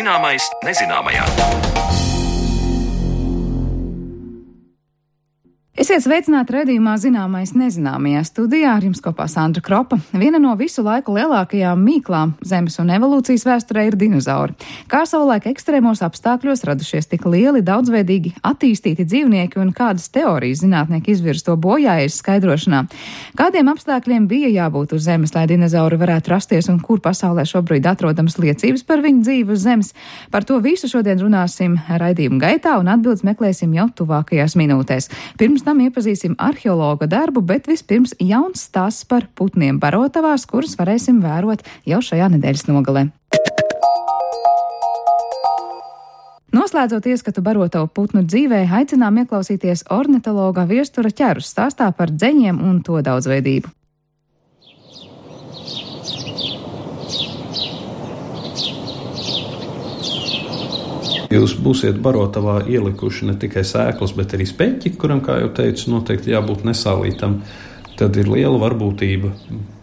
Zināmais nezināmajā. Esiet sveicināti raidījumā Zināmais nezināmajā. Studijā ar jums kopā Sandra Kropa. Viena no visu laiku lielākajām mīklām Zemes un evolūcijas vēsturē ir dinozauri. Kā savulaik ekstrēmos apstākļos radušies tik lieli, daudzveidīgi attīstīti dzīvnieki un kādas teorijas zinātnieki izvirz to bojājas skaidrošanā? Kādiem apstākļiem bija jābūt uz Zemes, lai dinozauri varētu rasties un kur pasaulē šobrīd atrodams liecības par viņu dzīvi uz Zemes? Par to visu šodien runāsim raidījuma gaitā un atbildes meklēsim jau tuvākajās minūtēs. Pirms tam iepazīsim arheologa darbu, bet vispirms jauns stāsts par putniem barotavās, kurus varēsim vērot jau šajā nedēļas nogalē. Noslēdzot ieskatu barotavu putnu dzīvē, aicinām ieklausīties ornitologa Viestura Ķerus stāstā par dzeņiem un to daudzveidību. Jūs būsiet barotavā ielikuši ne tikai sēklas, bet arī speķi, kuram, kā jau teicu, noteikti jābūt nesālītam. Tad ir liela varbūtība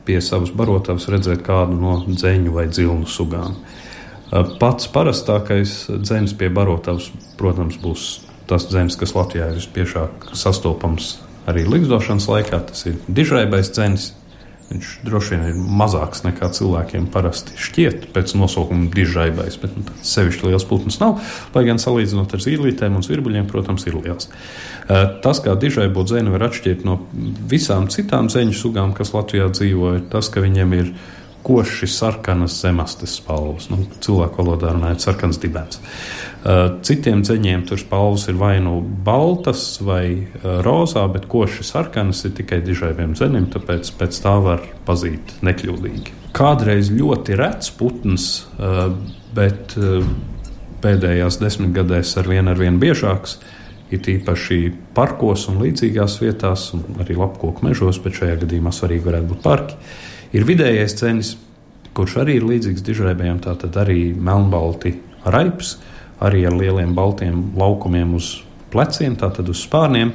pie savas barotavas redzēt kādu no dzeņu vai dzilnu sugām. Pats parastākais dzeņs pie barotavas, protams, būs tas dzeņs, kas Latvijā ir vispiešāk sastopams arī ligzdošanas laikā. Tas ir dižraibais dzeņs. Viņš droši vien ir mazāks nekā cilvēkiem parasti šķiet pēc nosaukuma dižraibais, bet sevišķi liels putns nav, lai gan salīdzinot ar zīlītēm un zvirbuļiem, protams, ir liels. Tas, kā dižraibo dzeni var atšķirt no visām citām dzeņu sugām, kas Latvijā dzīvo, ir tas, ka viņiem ir koši sarkanas zemastes spalvas. Cilvēku valodā runājot sarkans dibens. Citiem dzeņiem tur spalvas ir vai nu baltas vai rozā, bet koši sarkanas ir tikai dižraibiem dzenim, tāpēc pēc tā var pazīt nekļūdīgi. Kādreiz ļoti rets putns, bet pēdējās 10 gadēs ar vien biežāks, it īpaši parkos un līdzīgās vietās, un arī lapkoku mežos, bet šajā gadījumā svarīgi varētu būt parki. Ir vidējais dzenis, kurš arī ir līdzīgs dižraibējiem, tātad arī melnbalti raips, arī ar lieliem baltiem laukumiem uz pleciem, tātad uz spārniem.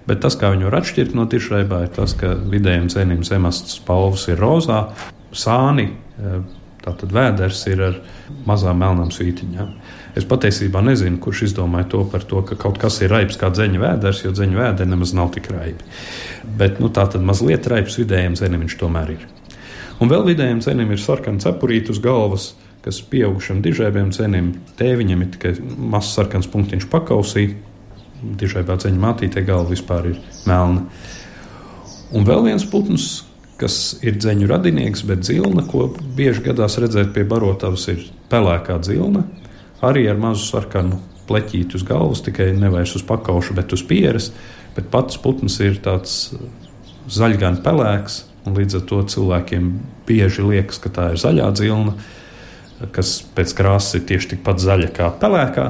Bet tas, kā viņu var atšķirt no dižraibā, ir tas, ka vidējiem dzenim zemastes spalvas ir rozā, sāni, tātad vēders ir ar mazām melnām svītiņām. Es patiesībā nezinu, kurš izdomāja to par to, ka kaut kas ir raips kā dzeņa vēders, jo dzeņa vēderi nemaz nav tik raibi. Bet tātad mazliet raips vidējiem dzenim viņš tomēr ir. Un vēl vidējiem dzenim ir sarkana cepurīte uz galvas, kas pieaugušam dižraibiem dzenim, tēviņam ir tikai mazs sarkans punktiņš pakausī, dižraibā dzeņa mātītē galva vispār ir melna. Un vēl viens putns, kas ir dzeņu radinieks, bet dzilna, ko bieži gadās redzēt pie barotavas, ir pelēkā dzilna, arī ar mazu sarkanu pleķīti uz galvas, tikai nevairs uz pakauša, bet uz pieres, bet pats putns ir tāds zaļgan pelēks, un līdz ar to cilvēkiem bieži liekas, ka tā ir zaļā dzilna, kas pēc krāsas ir tieši tikpat zaļa kā pelēkā,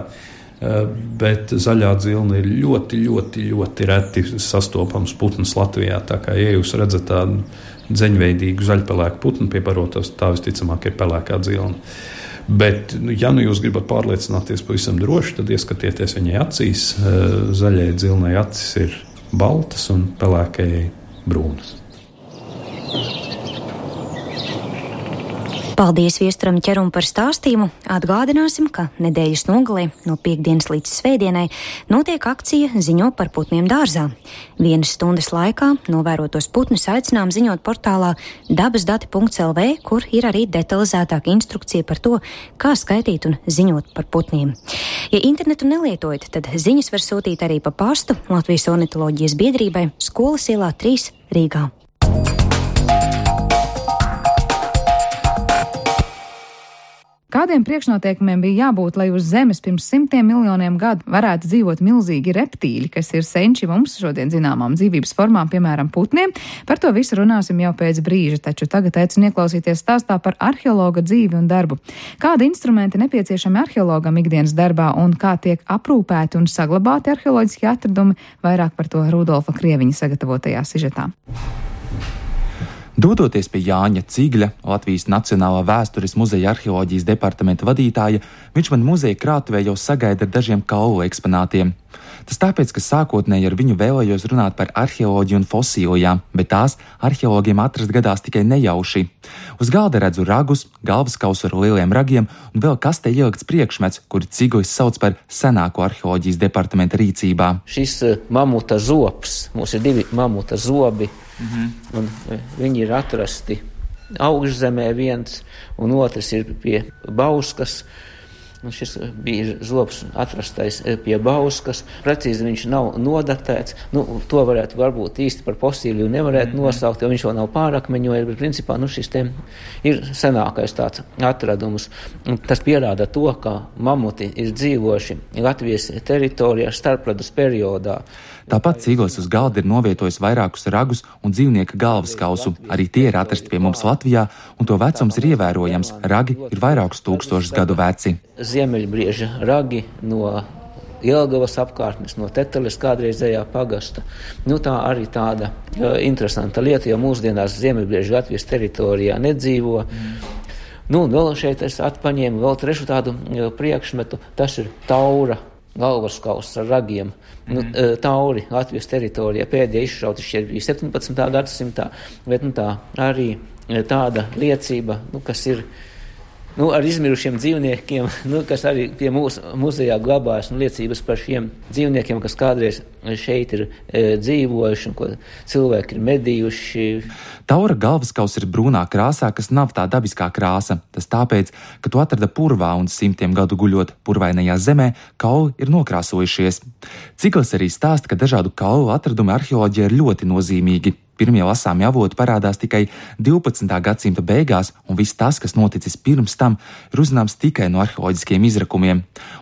bet zaļā dzilna ir ļoti reti sastopams putns Latvijā. Tā kā, ja jūs redzat tādu dzeņveidīgu zaļpelēku putnu pie barotavas, tā visticamāk ir pelēkā dzilna. Bet, ja jūs gribat pārliecināties pavisam droši, tad ieskatieties viņai acīs. Zaļai dzilnai acis ir baltas un pelēkajai brūnas. Paldies Viesturam Ķerum par stāstījumu. Atgādināsim, ka nedēļas nogalē no piektdienas līdz svētdienai notiek akcija Ziņo par putniem dārzā. 1 stundas laikā novērotos putnus aicinām ziņot portālā dabasdati.lv, kur ir arī detalizētāka instrukcija par to, kā skaitīt un ziņot par putniem. Ja internetu nelietojat, tad ziņas var sūtīt arī pa pastu Latvijas ornitoloģijas biedrībai Skolas ielā 3 Rīgā. Kādiem priekšnoteikumiem bija jābūt, lai uz Zemes pirms 100 miljoniem gadu varētu dzīvot milzīgi reptīļi, kas ir senči mums šodien zināmām dzīvības formām, piemēram, putniem? Par to visu runāsim jau pēc brīža, taču tagad aicinu ieklausīties stāstā par arheologa dzīvi un darbu. Kādi instrumenti nepieciešami arheologam ikdienas darbā un kā tiek aprūpēti un saglabāti arheoloģiskie atradumi? Vairāk par to Rudolfa Krieviņa sagatavotajā sižetā. Dodoties pie Jāņa Cigļa, Latvijas Nacionālā vēstures muzeja arheoloģijas departamenta vadītāja, viņš man muzeja krātuvē jau sagaida ar dažiem kaulu eksponātiem. Tas tāpēc, ka sākotnēji ar viņu vēlējos runāt par arheoloģiju un fosilijām, bet tās arheologiem atrast gadās tikai nejauši. Uz galda redzu ragus, galvaskausu ar lieliem ragiem un vēl kastē ielikts priekšmets, kuru Ciglis sauc par senāko arheoloģijas departamenta rīcībā. Šis mamuta zobs, mums ir 2 mamuta zobi, un viņi ir atrasti augšzemē viens, un otrs ir pie Bauskas. Un šis bija zobs atrastais pie Bauskas. Precīzi viņš nav nodatēts. To varētu varbūt īsti par fosīliju nevarētu nosaukt, jo viņš vēl nav pārakmeņojis, bet principā šis te ir senākais tāds atradums. Un tas pierāda to, ka mamuti ir dzīvojuši Latvijas teritorijā starpledus periodā. Tāpat Ciglis uz galda ir novietojis vairākus ragus un dzīvnieka galvaskausu. Arī tie ir atrasti pie mums Latvijā, un to vecums ir ievērojams. Ragi ir vairākus tūkstošus gadu veci. Ziemeļbrieža ragi no Jelgavas apkārtnes, no Teteles kādreizējā pagasta. Tā arī tāda interesanta lieta, jo mūsdienās ziemeļbrieža Latvijas teritorijā nedzīvo. Vēl šeit es atpaņēmu vēl trešu tādu priekšmetu. Tas ir taura galvaskauss ar ragiem. Tauri Latvijas teritorijā pēdējie izšauti šķiet bija 17. gadsimtā, bet tā arī tāda liecība, kas ir ar izmirušiem dzīvniekiem, kas arī pie mūsu muzejā glabājas, liecības par šiem dzīvniekiem, kas kādreiz šeit ir dzīvojuši un ko cilvēki ir medījuši. Taura galvaskaus ir brūnā krāsā, kas nav tā dabiskā krāsa. Tas tāpēc, ka to atrada purvā un 100 gadu guļot purvainajā zemē, kauli ir nokrāsojušies. Ciglis arī stāsta, ka dažādu kaulu atradumi arheoloģijā ir ļoti nozīmīgi. Pirmie lasāmi avoti parādās tikai 12. gadsimta beigās, un viss tas, kas noticis pirms tam, ir uzzināms tikai no arheoloģiskiem izrakumiem.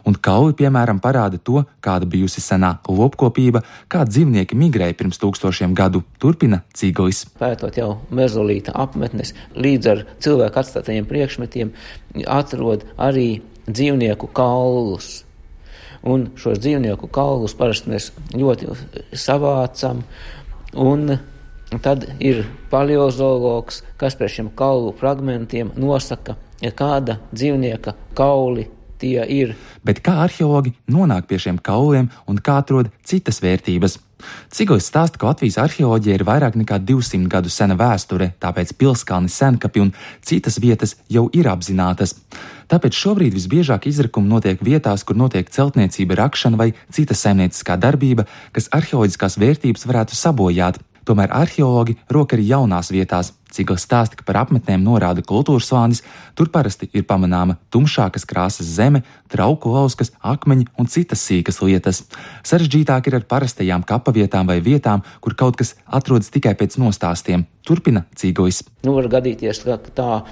Un kauli, piemēram, parāda to, kāda bijusi senā lopkopība, kā dzīvnieki migrēja pirms 1000 gadu, turpina Ciglis. Pētot jau mezolīta apmetnes, līdz ar cilvēku atstātajiem priekšmetiem atrod arī dzīvnieku kaulus. Un šos dzīvnieku kaulus parasti mēs ļoti savācam, un tad ir paleozoologs, kas pie šiem kaulu fragmentiem nosaka, kāda dzīvnieka kauli tie ir. Bet kā arheologi nonāk pie šiem kauliem un kā atrod citas vērtības? Ciglis stāsta, ka Latvijas arheoloģija ir vairāk nekā 200 gadu sena vēsture, tāpēc Pilskalni, Senkapi un citas vietas jau ir apzinātas. Tāpēc šobrīd visbiežāk izrakumi notiek vietās, kur notiek celtniecība, rakšana vai cita saimnieciskā darbība, kas arheoloģiskās vērtības varētu sabojāt. Tomēr arheologi rok arī jaunās vietās. Ciglis stāsta, ka par apmetnēm norāda kultūras slānis, tur parasti ir pamanāma tumšākas krāsas zeme, trauku lauskas, akmeņi un citas sīkas lietas. Sarežģītāk ir ar parastajām kapavietām vai vietām, kur kaut kas atrodas tikai pēc nostāstiem. Turpina Ciglis. Var gadīties tā,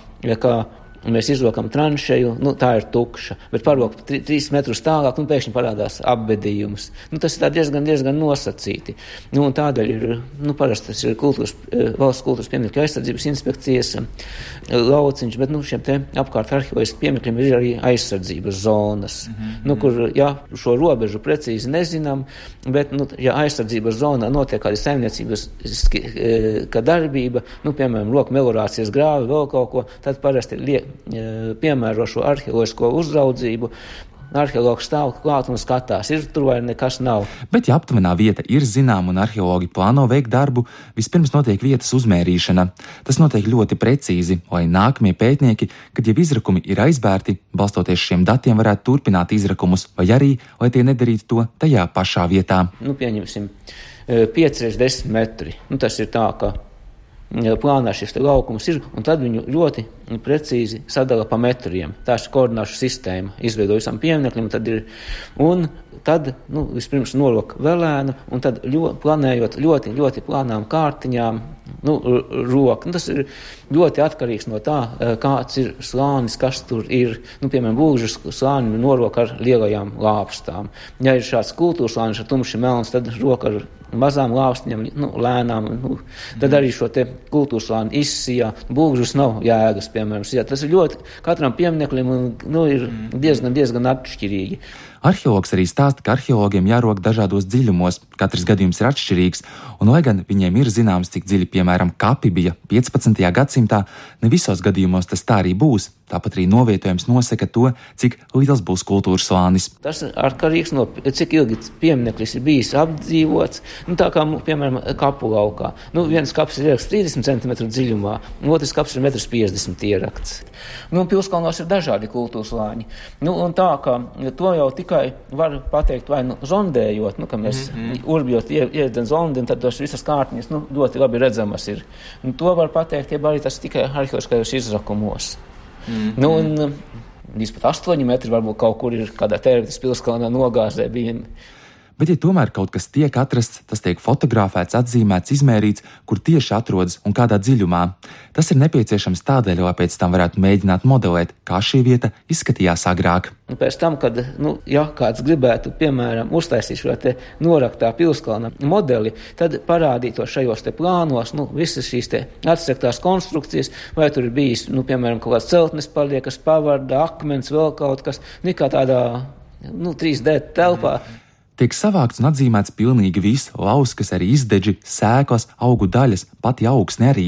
ka mēs izrokam tranšeju, tā ir tukša, bet parok 3 metrus tālāk, pēkšņi parādās apbedījums. Tas ir diezgan nosacīti. Un tādēļ ir, parasti tas ir valsts kultūras pieminekļu aizsardzības inspekcijas lauciņš, bet šiem te apkārt arheoloģiskiem pieminekļiem ir arī aizsardzības zonas, kur, šo robežu precīzi nezinām, bet, aizsardzības zonā notiek kāda saimniecības darbība, piemēram, loku melorācijas grāvi, vēl kaut ko, tad parasti piemēro šo arheoloģisko uzraudzību. Arheologs stāv klāt un skatās, ir tur vai nekas nav. Bet, ja aptuvenā vieta ir zināma un arheologi plāno veikt darbu, vispirms notiek vietas uzmērīšana. Tas notiek ļoti precīzi, lai nākamie pētnieki, kad jau izrakumi ir aizbērti, balstoties šiem datiem varētu turpināt izrakumus, vai arī, lai tie nedarītu to tajā pašā vietā. Pieņemsim 5x10 metri. Tas ir tā, ka plānā šis laukums ir, un tad viņu ļoti precīzi sadala pa metriem. Tā ir koordināšu sistēma, izveido visam pieminekļiem, un tad vispirms norok velēnu, un tad planējot ļoti plānām kārtiņām, roku. Tas ir ļoti atkarīgs no tā, kāds ir slānis, kas tur ir. Piemēram, būžas slāni norok ar lielajām lāpstām. Ja ir šāds kultūras slānis ar tumši melns, tad roka ar mazām lāpstiņām, lēnām. Tad arī šo te kultūras slāni izsijā. Būžas nav jēgas, piemēram. Tas ir ļoti katram piemineklim ir diezgan atšķirīgi. Arheologs arī stāsta, ka arheologiem jārok dažādos dziļumos, katrs gadījums ir atšķirīgs, un lai gan viņiem ir zināms, cik dziļi, piemēram, kapi bija 15. gadsimtā, ne visos gadījumos tas tā arī būs. Tāpat arī novietojums nosaka to, cik liels būs kultūras slānis. Tas ir atkarīgs no cik ilgi piemineklis ir bijis apdzīvots. Tā kā, piemēram, kapu laukā. Viens kaps ir ierakts 30 cm dziļumā, otrs kaps ir 1,50 m ierakts. Pilskalnos ir dažādi kultūras slāņi. Un tā, ka to jau tikai var pateikt vai zondējot, ka mēs urbjot iedzen zondi, un tad tos visas kārtiņas ļoti labi redzamas ir. To var pateikt, ja arī tas tikai arheoloģiskajos izrakumos. Līdz pat 8 metri varbūt kaut kur ir kādā Tērvetes pilskalnā nogāzē bijumi. Bet, ja tomēr kaut kas tiek atrasts, tas tiek fotografēts, atzīmēts, izmērīts, kur tieši atrodas un kādā dziļumā. Tas ir nepieciešams tādēļ, lai pēc tam varētu mēģināt modelēt, kā šī vieta izskatījās agrāk. Pēc tam, kad kāds gribētu, piemēram, uztaisīt šo te noraktā pilskalna modeli, tad parādītos šajos te plānos, visas šīs te atsektās konstrukcijas, vai tur ir bijis, piemēram, kaut kāds celtnes paliekas, pavarda, akmens, vēl kaut kas, kā tādā 3D telpā. Tiek savākts un atzīmēts pilnīgi viss, lauskas, arī izdeģi, sēklas, augu daļas, pati augsne arī.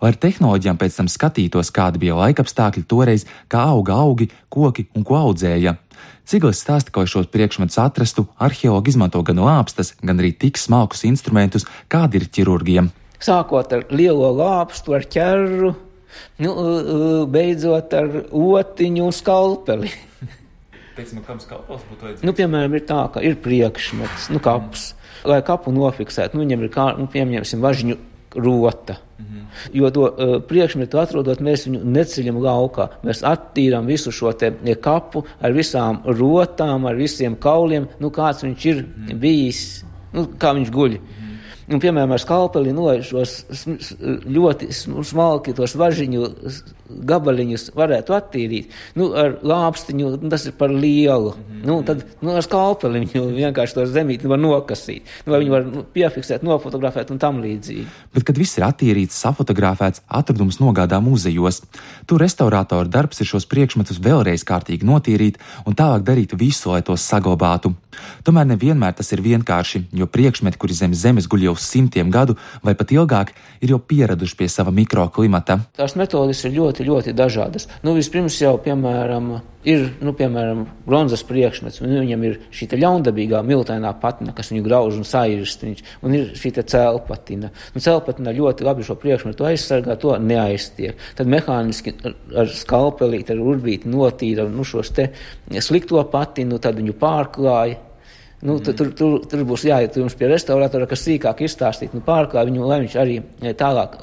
Lai ar tehnoloģijām pēc tam skatītos, kādi bija laikapstākļi toreiz, kā auga augi, koki un ko audzēja. Ciglis stāsta, ka, lai šos priekšmetus atrastu, arheologi izmanto gan lāpstas, gan arī tik smalkus instrumentus, kādi ir ķirurgiem. Sākot ar lielo lāpstu, ar ķerru, beidzot ar otiņu un skalpeli. Kam skalpels būtu vajadzīgs? Piemēram, ir tā, ka ir priekšmets, kaps. Lai kapu nofiksētu, viņam ir pieņemsim važiņu rota. Jo to priekšmetu atrodot, mēs viņu neceļam laukā. Mēs attīram visu šo te kapu ar visām rotām, ar visiem kauliem, kāds viņš ir bijis, kā viņš guļ. Piemēram, ar skalpeli šos ļoti smalki tos važiņu gabaliņus varētu attīrīt. Ar lāpstiņu tas ir par lielu. Tad ar skalpeli viņu vienkārši to zemīti var nokasīt. Vai viņu var piefiksēt, nofotografēt un tam līdzīgi. Bet, kad viss ir attīrīts, safotografēts, atradums nogādā muzejos. Tur restaurātoru darbs ir šos priekšmetus vēlreiz kārtīgi notīrīt un tālāk darīt visu, lai tos saglabātu. Tomēr nevienmēr tas ir vienkārši, jo priekšmeti, kuri zem zemes guļ jau simtiem gadu vai pat ilgāk, ir jau pieraduši pie sava mikroklimata. Tās metodes ir ļoti, ļoti dažādas. Vispirms jau, piemēram, ir, bronzas priekšmets, un viņam ir šī ļaundabīgā miltainā patina, kas viņu grauž un sairst, un ir šī cēlpatina. Cēlpatina ļoti labi šo priekšmetu aizsargā, to neaiztiek. Tad mehāniski ar skalpelīti, ar urbīti notīra šos te slikto patinu, tad viņu pārklāja. Tur būs jāiet jums pie restauratora, kas sīkāk izstāstīt, pārklāj viņu, lai viņš arī tālāk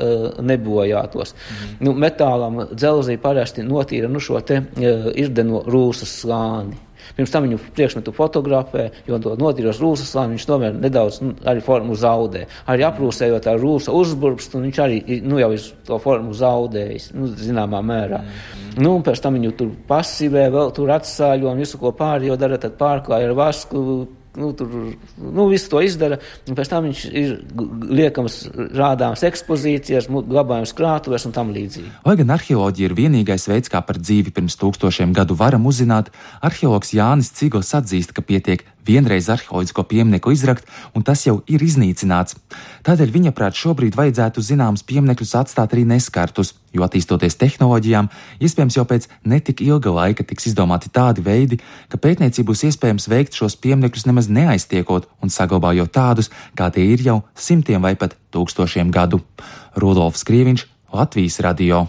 nebojātos. Metālam dzelzī parasti notīra šo te irdeno rūsas slāni. Pirms tam viņu priekšmetu fotografē, jo to notīros rūsas slāni, viņš tomēr nedaudz arī formu zaudē. Arī aprūsējot ar rūsa uzburbst, un viņš arī jau ir to formu zaudējis, zināmā mērā. Un pēc tam viņu tur pasivē, vēl tur atsāļo un visu, ko pārējo dara, tad pārklāja ar vasku. Visu to izdara, un pēc tam viņš ir liekams rādāms ekspozīcijas, glabājums krātuvēs un tam līdzīgi. Lai gan arheoloģija ir vienīgais veids, kā par dzīvi pirms 1000 gadu varam uzzināt, arheologs Jānis Cigls atzīst, ka pietiek vienreiz arheoloģisko pieminiektu izrakt, un tas jau ir iznīcināts. Tādēļ viņa prāt šobrīd vajadzētu zināmus pieminekļus atstāt arī neskartus, jo attīstoties tehnoloģijām, iespējams jau pēc netik ilga laika tiks izdomāti tādi veidi, ka pētniecību būs iespējams veikt šos pieminekļus nemaz neaiztiekot un saglabājot tādus, kā tie ir jau simtiem vai pat 1000 gadu. Rudolfs Krieviņš, Latvijas radio.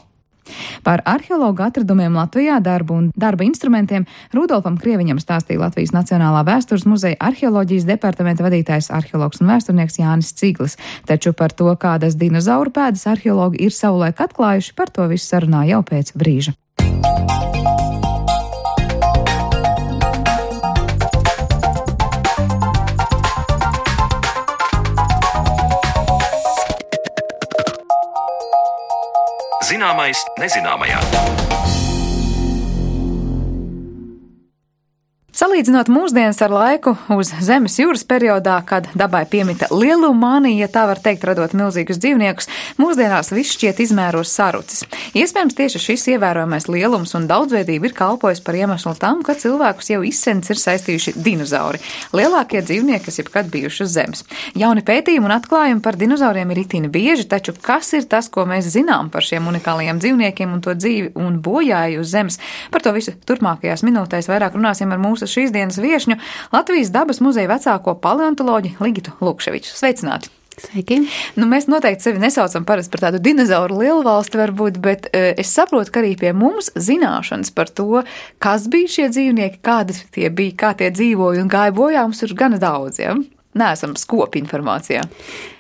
Par arheologu atradumiem Latvijā, darbu un darba instrumentiem Rudolfam Krieviņam stāstīja Latvijas Nacionālā vēstures muzeja arheoloģijas departamenta vadītājs arheologs un vēsturnieks Jānis Ciglis. Taču par to, kādas dinozauru pēdas arheologi ir savulaik atklājuši, par to visu sarunā jau pēc brīža. Zināmais nezināmajā. Salīdzinot mūsdienas ar laiku uz Zemes jūras periodā, kad dabai piemita lielumānija, ja tā var teikt, radot milzīgus dzīvniekus, mūsdienās viss šķiet izmēros sarucis. Iespējams, tieši šis ievērojamais lielums un daudzveidība ir kalpojis par iemeslu tam, ka cilvēkus jau izsens ir saistījuši dinozauri, lielākie dzīvnieki, kas jebkad bijuši uz Zemes. Jauni pētījumi un atklājumi par dinozauriem ir itin bieži, taču kas ir tas, ko mēs zinām par šiem unikālajiem dzīvniekiem un to dzīvi un bojāju uz Zemes? Par to visu turpmākajās minūtēs vairāk runāsim ar mūsu šīs dienas viešņu, Latvijas dabas muzeja vecāko paleontoloģi Ligitu Lukševiču. Sveicināti! Sveiki! Mēs noteikti sevi nesaucam parasti par tādu dinozauru lielvalsti varbūt, bet es saprotu, ka arī pie mums zināšanas par to, kas bija šie dzīvnieki, kādi tie bija, kā tie dzīvoja un gāja bojā, mums ir gana daudz, ja? Neesam skopi informācijā.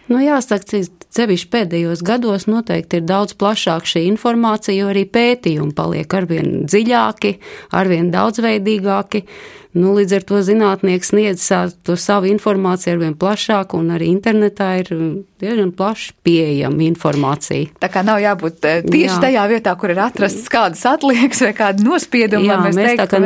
Jāsaka, sevišķi pēdējos gados noteikti ir daudz plašāk šī informācija, jo arī pētījumi paliek arvien dziļāki, arvien daudzveidīgāki. Līdz ar to zinātnieks sniedz to savu informāciju arvien plašāk, un arī internetā ir diezgan plaši pieejama informācija. Tā kā nav jābūt tieši tajā vietā, kur ir atrasts kādas atliekas vai kādi nospiedumi. Jā, mēs teiktu, tā kā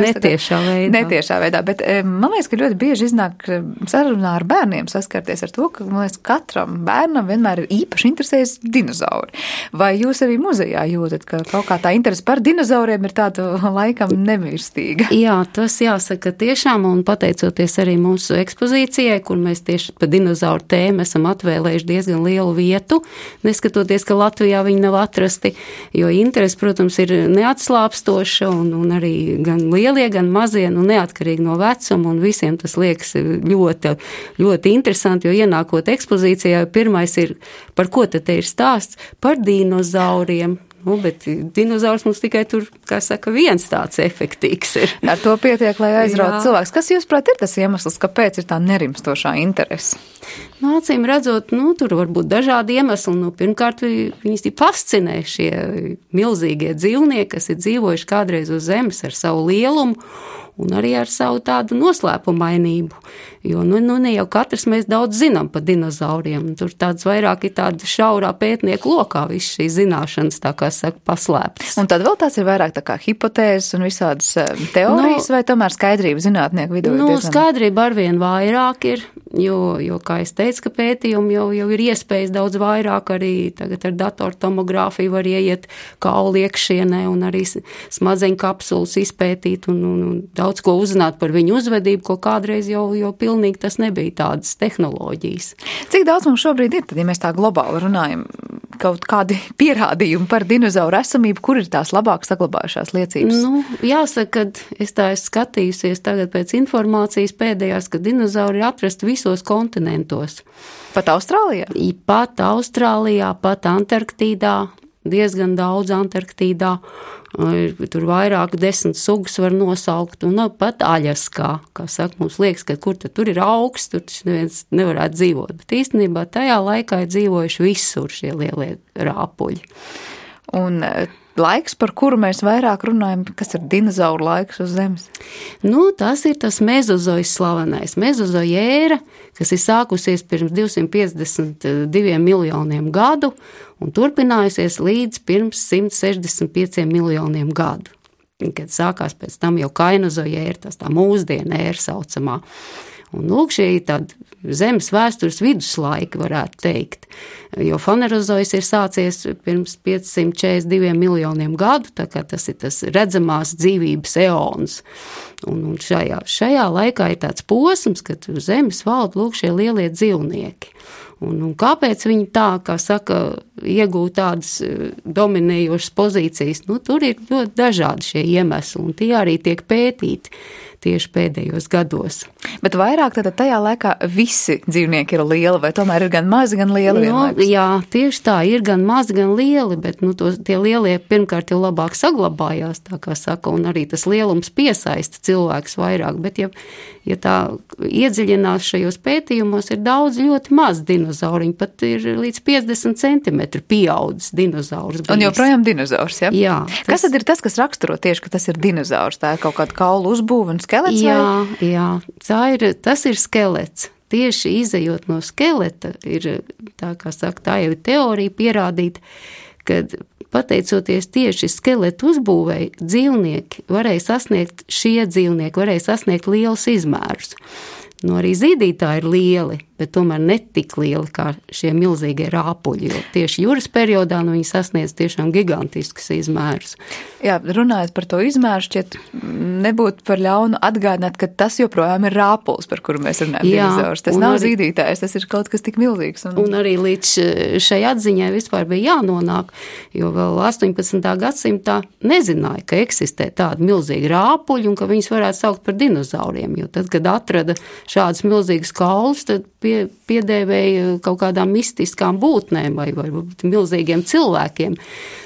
netiešā veidā. Bet man liekas, ka ļoti bieži iznāk sarunā ar bērniem saskarties ar to, ka, man liekas, katram bērnam vienmēr ir īpaši interesēs dinozauri. Vai jūs arī muzejā jūtat, ka kaut kā tā interese par dinozauriem ir tāda laikam nemirstīga? Jā, tas jāsaka tiešām, un pateicoties arī mūsu ekspozīcijai, kur mēs tieši pa dinozauru tēmu esam atvēlējuši diezgan lielu vietu, neskatoties, ka Latvijā viņi nav atrasti, jo interesi, protams, ir neatslāpstoša, un arī gan lielie, gan mazie, neatkarīgi no vecuma, un visiem tas liekas ļoti, ļoti interesanti, jo ienākot ekspozīcijā, pirmais ir, par ko tad te ir stāsts? Par dinozauriem. Bet dinozaurs mums tikai tur, kā saka, viens tāds efektīgs ir. Ar to pietiek, lai aizrautu cilvēks. Kas, jūsuprāt, ir tas iemesls, kāpēc ir tā nerimstošā interese? Acīm redzot, tur var būt dažādi iemesli. Pirmkārt, viņus fascinē šie milzīgie dzīvnieki, kas ir dzīvojuši kādreiz uz Zemes ar savu lielumu un arī ar savu tādu noslēpumainību. Jo, ne jau katrs mēs daudz zinām par dinozauriem. Tur tāds vairāk ir tāda šaurā pētnieku lokā viss šīs zināšanas, tā kā saka, paslēptas. Un tad vēl tās ir vairāk tā kā hipotēzes un visādas teorijas, vai tomēr skaidrība zinātnieku vidū? Skaidrība arvien vairāk ir, jo, kā es teicu, ka pētījumi jau ir iespējas daudz vairāk, arī tagad ar datortomogrāfiju var ieiet kaulu iekšienē un arī smadzeņu kapsulas izpētīt un daudz ko uzzināt par viņu uzvedību, ko kādreiz jau pilnīgi tas nebija tādas tehnoloģijas. Cik daudz mums šobrīd ir, tad, ja mēs tā globāli runājam, kaut kādi pierādījumi par dinozauru esamību, kur ir tās labāk saglabājušās liecības? Jāsaka, ka es tā esmu skatījusies tagad pēc informācijas pēdējās, ka dinozauri ir atrasti visos kontinentos. Pat Austrālijā? Pat Austrālijā, pat Antarktīdā, diezgan daudz Antarktīdā. Tur vairāk 10 sugas var nosaukt, un pat Aļaskā, kā saka, mums liekas, ka kur tur ir augsts, tur neviens nevarētu dzīvot, bet īstenībā tajā laikā ir dzīvojuši visur šie lielie rāpuļi. Un laiks, par kuru mēs vairāk runājam, kas ir dinozauru laiks uz Zemes? Tas ir tas mezozojs slavenais. Mezozoja ēra, kas ir sākusies pirms 252 miljoniem gadu un turpinājusies līdz pirms 165 miljoniem gadu. Kad sākās pēc tam jau kainozoja ēra, tas tā mūsdiena ēra saucamā. Un lūk, šie ir tādi Zemes vēstures viduslaiki, varētu teikt, jo fanerozojs ir sācies pirms 542 miljoniem gadu, tā kā tas ir tas redzamās dzīvības eons. Un šajā laikā ir tāds posms, kad uz Zemes valda lūk šie lielie dzīvnieki. Un kāpēc viņi tā, kā saka, iegūt tādas dominējošas pozīcijas? Tur ir ļoti dažādi šie iemesli, un tie arī tiek pētīti tieši pēdējos gados. Bet vairāk tad tajā laikā visi dzīvnieki ir lieli, vai tomēr ir gan mazi, gan lieli vienlaikus? Jā, tieši tā, ir gan mazi, gan lieli, bet tie lielie pirmkārt jau labāk saglabājās, tā kā saka, un arī tas lielums piesaista cilvēkus vairāk, bet ja tā iedziļinās šajos pētījumos, ir daudz ļoti maz dinozauriņu, pat ir līdz 50 centimetru pieaudzis dinozaurs. Un joprojām dinozaurs, ja? Jā. Kas tad ir tas, kas raksturo tieši, ka tas ir dinozaurs? Tā ir kaut kāda kaulu uzbūve un skelets? Jā, tas ir skelets. Tieši izejot no skeleta ir, tā kā saka, tā jau ir teorija pierādīta, kad pateicoties tieši skeletu uzbūvēji, šie dzīvnieki varēja sasniegt lielus izmērus. Arī zīdītāji ir lieli, bet tomēr netik lieli kā šie milzīgie rāpuļi, jo tieši jūras periodā viņi sasniedz tiešām gigantiskus izmērus. Jā, runājot par to izmēru, šķiet nebūtu par ļaunu atgādināt, ka tas joprojām ir rāpuls, par kuru mēs runājam, dinozaurs. Tas nav zīdītājs, tas ir kaut kas tik milzīgs. Un arī līdz šai atziņai vispār bija jānonāk, jo vēl 18. gadsimtā nezināja, ka eksistē tādi milzīgi rāpuļi un ka viņus varētu saukt par dinozauriem, jo tad, kad atrada šādas milzīgas kaulus, tad piedēvēja kaut kādām mistiskām būtnēm vai milzīgiem cilvēkiem.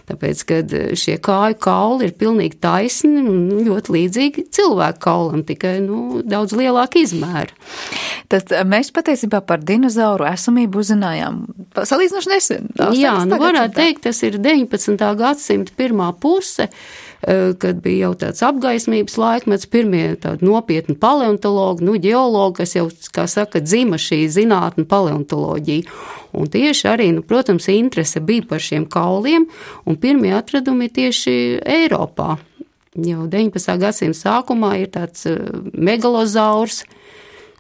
Tāpēc, kad šie kāju kauli ir pilnīgi taisni un ļoti līdzīgi cilvēku kaulam, tikai daudz lielāka izmēra. Tad mēs patiesībā par dinozauru esamību uzzinājām salīdzinoši nesen. Jā, varētu teikt, tas ir 19. gadsimta pirmā puse, kad bija jau tāds apgaismības laikmets, pirmie tādi nopietni paleontologi, ģeologi, kas jau, kā saka, dzima šī zinātne paleontoloģija. Un tieši arī, protams, interese bija par šiem kauliem, un pirmie atradumi tieši Eiropā. Jau 19. gadsimta sākumā ir tāds megalozaurs,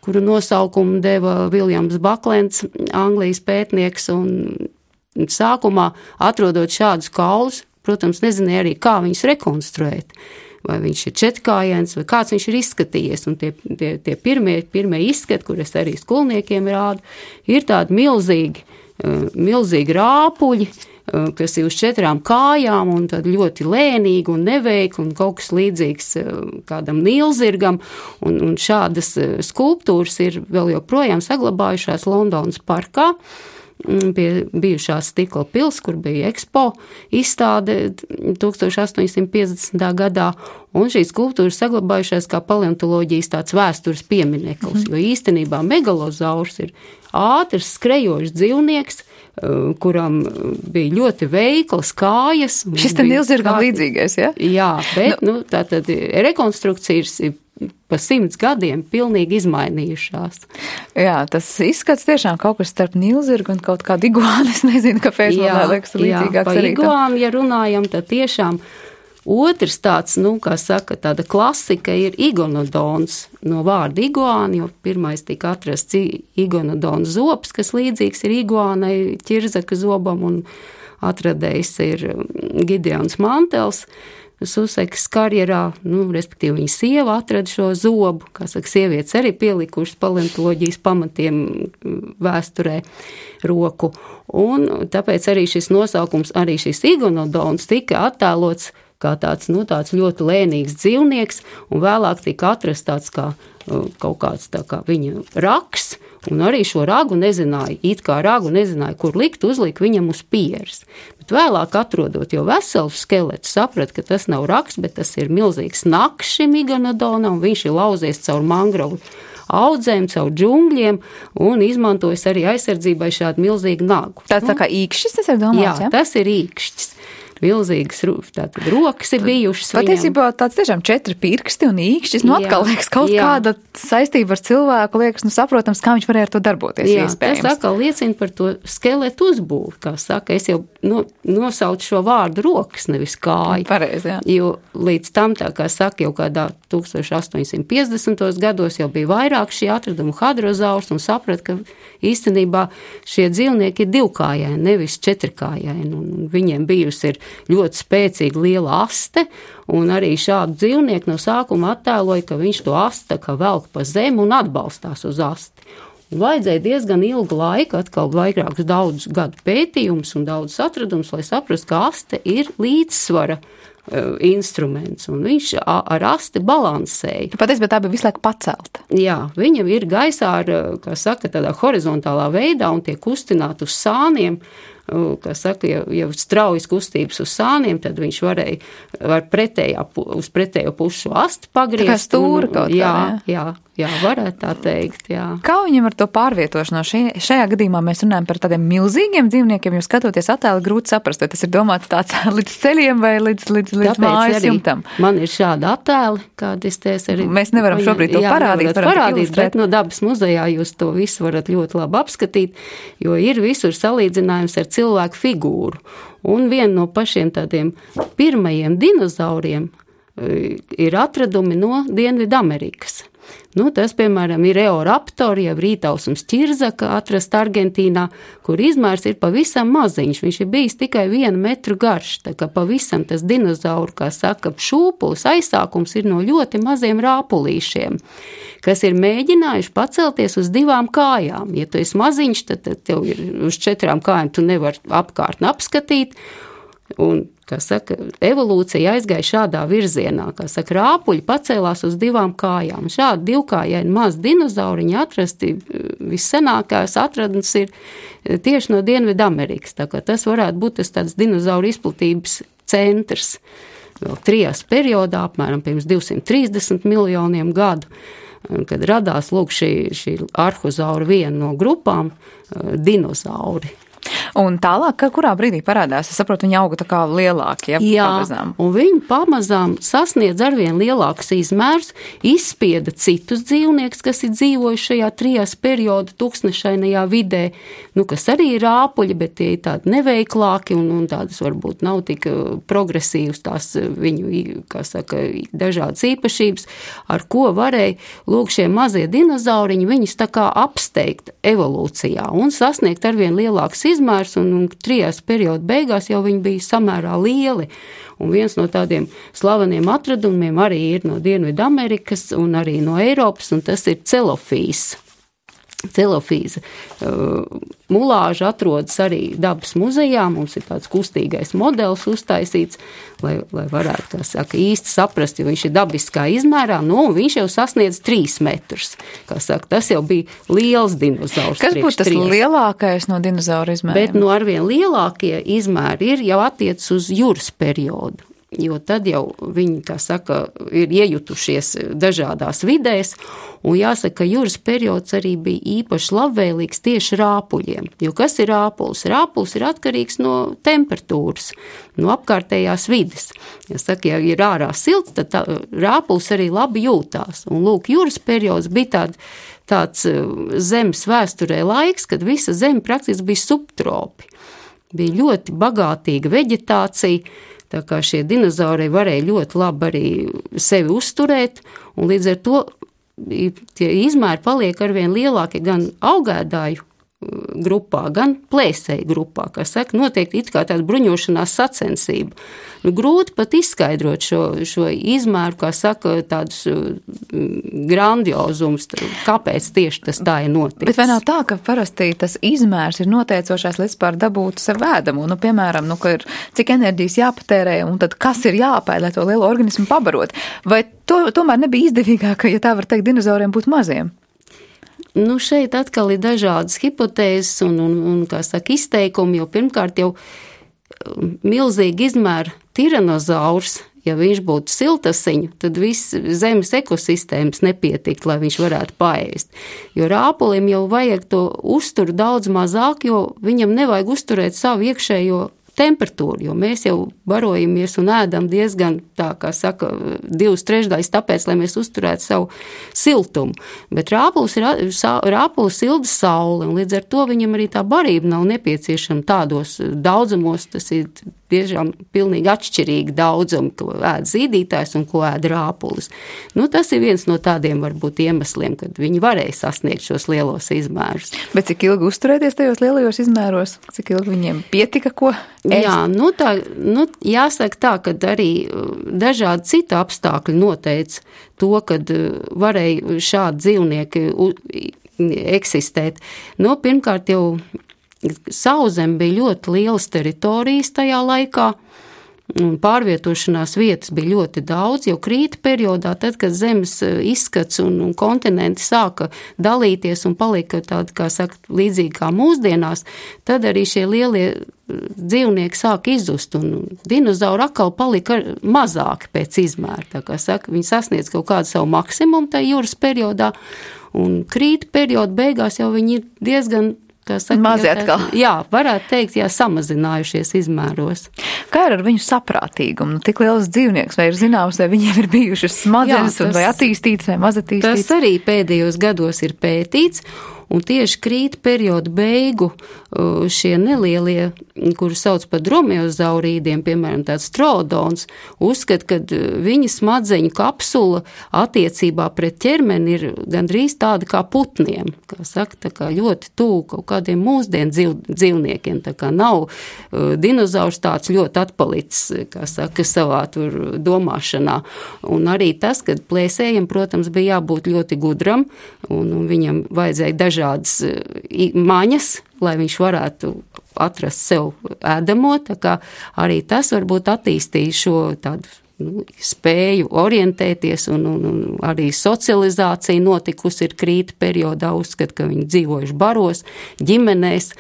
kuru nosaukumu deva Viljams Baklends, Anglijas pētnieks, un sākumā atrodot šādus kaulus, protams, nezināja arī, kā viņus rekonstruēt, vai viņš ir četrkājains, vai kāds viņš ir izskatījies, un tie pirmie izskati, kur es arī skolniekiem rādu, ir tādi milzīgi rāpuļi, kas ir uz 4 kājām, un tad ļoti lēnīgi un neveikli, un kaut kas līdzīgs kādam nīlzirgam, un šādas skulptūras ir vēl joprojām saglabājušās Londonas parkā, pie bijušās stikla pils, kur bija Expo izstāde 1850. gadā, un šīs skulptūras saglabājušās kā paleontoloģijas tāds vēstures piemineklis, jo īstenībā megalozaurs ir ātrs, skrejošs dzīvnieks, kuram bija ļoti veiklas kājas. Šis te nilzirgam līdzīgais, ja? Jā, bet, tātad rekonstrukcijas ir pa 100 gadiem pilnīgi izmainījušās. Jā, tas izskats tiešām kaut kas starp nilzirgu un kaut kādu iguānu. Es nezinu, kāpēc man liekas līdzīgāks arī. Jā, par iguānu, ja runājam, tad tiešām otrs tāds, kā saka, tāda klasika ir igonodons no vārda iguāna, jo pirmais tika atrasts igonodona zobs, kas līdzīgs ir iguānai, ķirzaka zobam, un atradējs ir Gideons Mantels. Susekas karjerā, respektīvi viņa sieva atrada šo zobu, kā saka, sievietes arī pielikušas paleontoloģijas pamatiem vēsturē roku, un tāpēc arī šis nosaukums, arī šis igonodons tika attēlots kā tāds ļoti lēnīgs dzīvnieks, un vēlāk tika atrasts tāds kā kaut kāds tā kā viņa raks, un arī šo ragu nezināja, kur likt, uzlika viņam uz pieres. Bet vēlāk atrodot jau veselu skeletu, saprat, ka tas nav raks, bet tas ir milzīgs naks šim igonodonam, un viņš ir lauzies caur mangrovu audzēm, caur džungļiem, un izmantojas arī aizsardzībai šādu milzīgu nagu. Tā kā īkšķis, tas ir domāts, jā? Jā, tas ir īkšķis. Milzīgas tātad rokas ir bijušas. Patiesībā tāds tiešām 4 pirksti un īkšķis, atkal liekas kaut kāda saistība ar cilvēku, liekas, saprotams, kā viņš varēja ar to darboties. Jā, iespējams. Tas atkal liecina par to skeletu uzbūvi, kā saka, es jau nosaucu šo vārdu rokas, nevis kāju. Pareizi, jā. Jo līdz tam, tā kā saka, jau kādā 1850. gados jau bija vairāk šī atraduma hadrozaurs un saprat, ka īstenībā šie dzīvnieki ir 2-kājaini, nevis 4-kājaini, un viņiem bijusi ir ļoti spēcīga liela aste, un arī šādu dzīvnieku no sākuma attēloja, ka viņš to asti tā kā velk pa zemi un atbalstās uz asti. Un vajadzēja diezgan ilgu laiku, atkal vairākus daudz gadu pētījumus un daudz atradumus, lai saprastu, ka aste ir līdzsvara instruments, un viņš ar asti balansēja. Patiesībā tā bija visu laiku pacelta. Jā, viņa ir gaisā ar, kā saka, tādā horizontālā veidā un tiek kustināta uz sāniem, kā saka, ja straujas kustības uz sāniem, tad viņš var uz pretējo pušu asti pagriezt. Tā kā stūra kaut kā, jā, varētu tā teikt, jā. Kā viņam ar to pārvietošanos? Šajā gadījumā mēs runājam par tādiem milzīgiem dzīvniekiem, jo skatoties attēli grūti saprast, vai tas ir domāts tāds līdz ceļiem vai līdz mājas jumtam. Man ir šādi attēli, kādi es arī. Mēs nevaram šobrīd to parādīt, bet no Dabas muzejā jūs to visu varat ļoti labi apskatīt, jo ir visur salīdzinājums ar cilvēku figūru. Un viena no pašiem tādiem pirmajiem dinozauriem ir atradumi no Dienvidamerikas. Tas, piemēram, ir Eoraptori, jau rītausums ķirzaka atrast Argentīnā, kur izmērs ir pavisam maziņš. Viņš ir bijis tikai 1 metru garš, tā kā pavisam tas dinozauru, kā saka, šūpulis aizsākums ir no ļoti maziem rāpulīšiem, kas ir mēģinājuši pacelties uz 2 kājām. Ja tu esi maziņš, tad tev ir uz 4 kājām, tu nevar apkārtni apskatīt. Un, kā saka, evolūcija aizgāja šādā virzienā, kā saka, rāpuļi pacēlās uz 2 kājām. Šādi 2-kājaini maz dinozauriņi atrasti, vissenākās atradnes ir tieši no Dienvidamerikas. Tā kā tas varētu būt tas tāds dinozauru izplatības centrs. Vēl Trias periodā, apmēram pirms 230 miljoniem gadu, kad radās lūk šī arhozaura viena no grupām, dinozauri. Un tālāk, kurā brīdī parādās? Es saprotu, viņi auga tā kā lielāki, ja? Jā, pamazām. Un viņi pamazām sasniedz arvien lielākus izmērs, izspieda citus dzīvniekus, kas ir dzīvojuši šajā Trias perioda tūkstnešainajā vidē, kas arī ir rāpuļi, bet tie ir tādi neveiklāki un tādas varbūt nav tik progresīvas tās viņu, kā saka, dažādas īpašības, ar ko varēja, lūk, šie mazie dinozauriņi, viņus tā kā apsteigt evolūcijā un sasniegt arvien lielākus izmērs, un Trias perioda beigās jau viņi bija samērā lieli. Un viens no tādiem slaveniem atradumiem arī ir no Dienvidamerikas un arī no Eiropas, un tas ir celofīs. Celofīza mulāža atrodas arī dabas muzejā, mums ir tāds kustīgais modelis uztaisīts, lai varētu, kā saka, īsti saprast, jo viņš ir dabiskā izmērā, un viņš jau sasniedz 3 metrus. Kā saka, tas jau bija liels dinozaurs. Kas būtu tas lielākais no dinozauru izmēriem? Bet arvien lielākie izmēri ir jau attiec uz jūras periodu. Jo tad jau viņi, kā saka, ir iejutušies dažādās vidēs, un jāsaka, ka jūras periods arī bija īpaši labvēlīgs tieši rāpuļiem. Jo kas ir rāpulis? Rāpulis ir atkarīgs no temperatūras, no apkārtējās vides. Jāsaka, ja ir ārā silts, tad rāpulis arī labi jūtās. Un lūk, jūras periods bija tāds zemes vēsturē laiks, kad visa zeme praktiski bija subtropi. Bija ļoti bagātīga veģetācija, tā kā šie dinozauri varēja ļoti labi arī sevi uzturēt, un līdz ar to tie izmēri paliek arvien lielāki gan augēdāju grupā, gan plēsēju grupā, kā saka, notiek it kā tāda bruņošanās sacensība. Grūti pat izskaidrot šo izmēru, kā saka, tādus grandiozums, kāpēc tieši tas tā ir noticis. Bet vai nav tā, ka parasti tas izmērs ir noteicošais, līdz pār dabūtu sev ēdamu? Piemēram, ka ir cik enerģijas jāpatērē, un tad kas ir jāpēd, lai to lielo organismu pabarot? Vai tomēr nebija izdevīgāk, ja tā var teikt, dinozauriem būt maziem? Šeit atkal ir dažādas hipotēzes un kā saka, izteikumi, jo pirmkārt jau milzīgi izmēra tiranozaurs, ja viņš būtu siltasiņu, tad viss zemes ekosistēmas nepietikt, lai viņš varētu paēst. Jo rāpulim jau vajag to uzturu daudz mazāk, jo viņam nevajag uzturēt savu iekšējo temperatūru, jo mēs jau barojamies un ēdam diezgan, tā kā saka, 2/3, tāpēc, lai mēs uzturētu savu siltumu. Bet rāpulis silda saule, un līdz ar to viņam arī tā barība nav nepieciešama tādos daudzumos, tas ir tiešām pilnīgi atšķirīgi daudzumi, ko ēd zīdītājs un ko ēd rāpulis. Tas ir viens no tādiem varbūt iemesliem, kad viņi varēja sasniegt šos lielos izmērus. Bet cik ilgi uzturēties tajos lielajos izmēros? Cik ilgi viņiem pietika, ko ēst? Jā, jāsaka tā, ka arī dažādi citi apstākļi noteica to, kad varēja šādi dzīvnieki eksistēt. Pirmkārt jau Sauszem bija ļoti lielas teritorijas tajā laikā, un pārvietošanās vietas bija ļoti daudz, jo krīta periodā, tad, kad zemes izskats un kontinenti sāka dalīties un palika tādi, kā saka, līdzīgi kā mūsdienās, tad arī šie lielie dzīvnieki sāka izzust, un dinozauri atkal palika mazāki pēc izmēra. Tā kā saka, viņi sasniedz kaut kādu savu maksimumu tajā jūras periodā, un krīta perioda beigās jau viņi ir diezgan mazi atkal. Jā, varētu teikt, samazinājušies izmēros. Kā ir ar viņu saprātīgumu? Tik liels dzīvnieks, vai ir zināms, vai viņiem ir bijušas smadzenes, vai attīstītas, vai mazattīstītas? Tas arī pēdējos gados ir pētīts, un tieši krīta perioda beigu šie nelielie, kuri sauc par dromeozaurīdiem, piemēram, tāds troodons, uzskat, ka viņa smadzeņu kapsula attiecībā pret ķermeni ir gandrīz tāda kā putniem, kā saka, tā kā ļoti tuvu kaut kādiem mūsdienu dzīvniekiem, tā kā nav dinozaurs tāds ļoti atpalicis, kā saka, savā tur domāšanā. Un arī tas, kad plēsējiem, protams, bija jābūt ļoti gudram, un viņam vajadzēja dažādas maņas, lai viņš varētu atrast sev ēdamo, tā kā arī tas varbūt attīstīja šo tādu spēju orientēties, un arī socializācija notikusi ir krīta periodā, uzskat, ka viņi dzīvojuši baros, ģimenēs,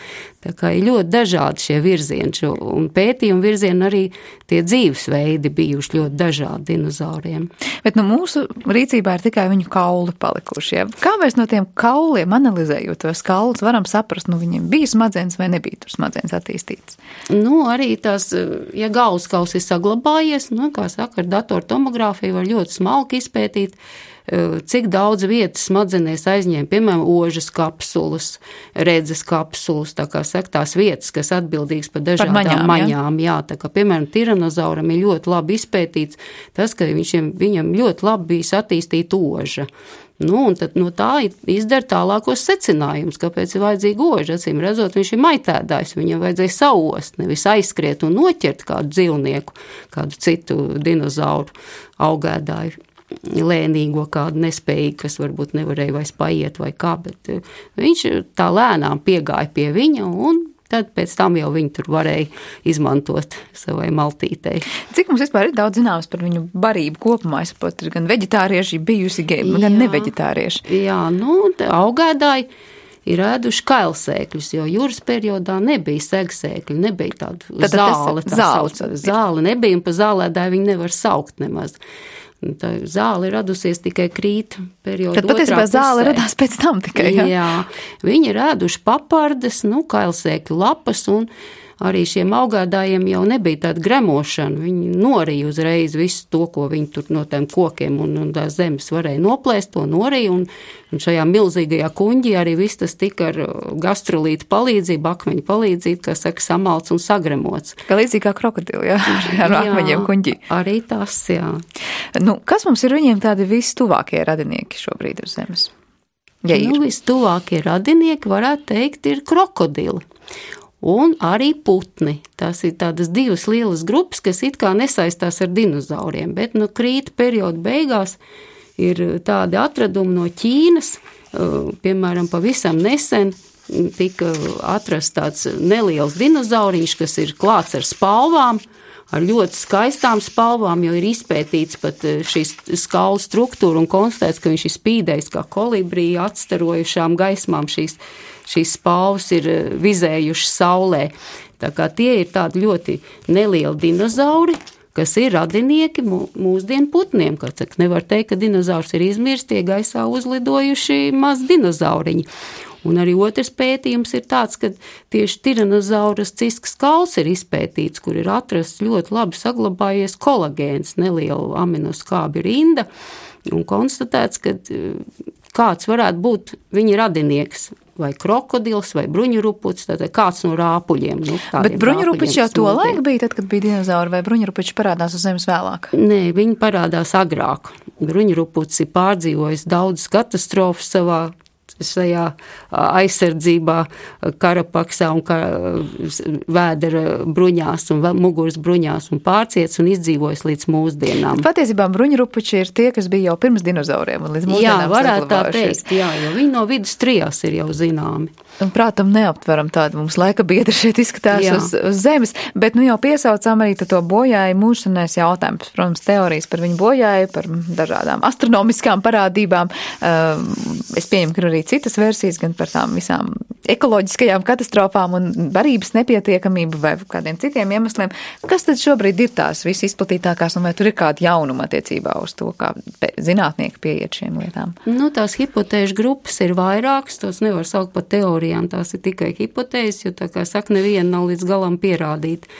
tā kā ir ļoti dažādi šie virzieni, un pētījumi virzieni arī tie dzīvesveidi bijuši ļoti dažādi dinozauriem. Bet mūsu rīcībā ir tikai viņu kauli palikuši, ja? Kā mēs no tiem kauliem, analizējot tos kaulus, varam saprast, viņiem bija smadzenes vai nebija tur smadzenes attīstītas? Arī tās, ja galvaskauls ir saglabājies, kā saka, ar datortomogrāfiju var ļoti smalki izpētīt, cik daudz vietas smadzenēs aizņēma, piemēram, ožas kapsulas, redzes kapsulas, tā kā saka, tās vietas, kas atbildīgas par dažādām maņām. Jā, tā kā, piemēram, tiranozauram ir ļoti labi izpētīts tas, ka viņam ļoti labi bijis attīstīt oža. Un tad no tā izdara tālākos secinājumus, kāpēc ir vajadzīga oža. Acīm redzot, viņš ir maitēdājs, viņam vajadzēja saost, nevis aizskriet un noķert kādu dzīvnieku, kādu citu dinozauru augēdāju. Lēnīgo kādu nespēju, kas varbūt nevarēja vairs paiet vai kā, bet viņš tā lēnām piegāja pie viņa, un tad pēc tam jau viņi tur varēja izmantot savai maltītei. Cik mums vispār ir daudz zināms par viņu barību kopumā? Es saprotu, ir gan veģetārieši bijusi, gan neveģetārieši. Jā, augēdāji ir ēduši kailsēkļus, jo jūras periodā nebija segsēkļi, nebija tāda zāle nebija, un pa zālēdāju viņi nevar saukt nemaz. Tā zāle ir radusies tikai krīta perioda otrā pusē. Tad patiesībā zāle radās pēc tam tikai, jā? Jā, viņi ir ēduši papardes, kailsēkļu lapas, un arī šiem augādājiem jau nebija tāda gremošana. Viņi norīja uzreiz visu to, ko viņi tur no tiem kokiem un tās zemes varēja noplēst, to norīja, un šajā milzīgajā kuņģī arī viss tas tika ar gastrolītu palīdzību, akmeņu palīdzību, kā saka, samalts un sagremots. Kā līdzīgi kā krokodili, jā, ar akmeņiem kuņģī. Arī tas, jā. Kas mums ir viņiem tādi vistuvākie radinieki šobrīd uz zemes? Ja vistuvākie radinieki, varētu teikt, ir krokodili. Un arī putni. Tās ir tādas divas lielas grupas, kas it kā nesaistās ar dinozauriem, bet krīta perioda beigās ir tādi atradumi no Ķīnas, piemēram, pavisam nesen tika atrasts tāds neliels dinozauriņš, kas ir klāts ar spalvām, ar ļoti skaistām spalvām, jo ir izpētīts pat šīs skalu struktūra un konstatēts, ka viņš ir spīdējis kā kolibrija atstarojušām gaismām šīs spalvas ir vizējušas saulē. Tā kā tie ir tādi ļoti nelieli dinozauri, kas ir radinieki mūsdienu putniem. Nevar teikt, ka dinozaurs ir izmirsts, tie gaisā uzlidojuši maz dinozauriņi. Un arī otrs pētījums ir tāds, ka tieši tiranozauras ciskas kauls ir izpētīts, kur ir atrasts ļoti labi saglabājies kolagēns, neliela aminoskābi rinda, un konstatēts, ka kāds varētu būt viņa radinieks, vai krokodils, vai bruņurupucis, tātad kāds no rāpuļiem. Bet bruņurupucis jau to laiku bija, tad, kad bija dinozauri, vai bruņurupucis parādās uz zemes vēlāk? Nē, viņi parādās agrāk. Bruņurupucis ir pārdzīvojis daudzas katastrofas šajā aizsardzībā, karapaksā un vēdera bruņās un muguras bruņās un pārciets un izdzīvojis līdz mūsdienām. Patiesībā bruņurupuči ir tie, kas bija jau pirms dinozauriem un līdz mūsdienām. Jā, varētu tā teikt, jo viņi no vidus trijās ir jau zināmi. Un prātam neaptveram tādu mums laika biedri šeit izskatās uz zemes, bet jau piesaucām arī to bojāju mūžsanais jautājums. Protams, teorijas par viņu bojāju, par dažādām astronomiskām parādībām. Es pieņemu, ka arī citas versijas, gan par tām visām ekoloģiskajām katastrofām un barības nepietiekamību vai kādiem citiem iemesliem. Kas tad šobrīd ir tās visizplatītākās un vai tur ir kāda jaunuma attiecībā uz to, kā zinātnieki pieiet šiem lietām? Tās hipotēžu grupas ir vairākas, tos nevar saukt par teorijām, tās ir tikai hipotēzes, jo tā kā saka, neviena nav līdz galam pierādīta.